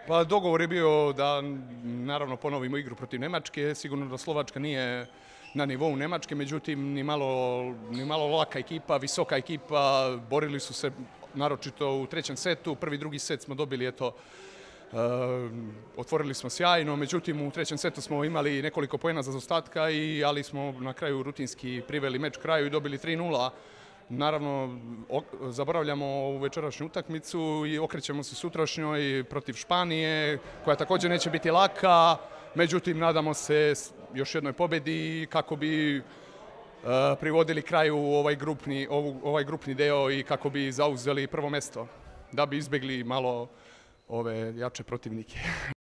Pa dogovor je bio da naravno ponovimo igru protiv Nemačke. Sigurno da Slovačka nije na nivou Nemačke, međutim ni malo laka ekipa, visoka ekipa, borili su se naročito u trećem setu. Prvi, drugi set smo dobili, otvorili smo sjajno, međutim u trećem setu smo imali nekoliko poena za zaostatka, ali smo na kraju rutinski priveli meč kraju i dobili 3:0. Naravno, zaboravljamo ovu večerašnju utakmicu i okrećemo se sutrašnjoj protiv Španije, koja također neće biti laka, međutim nadamo se još jednoj pobjedi kako bi privodili kraju ovaj grupni deo i kako bi zauzeli prvo mjesto, da bi izbjegli malo ove jače protivnike.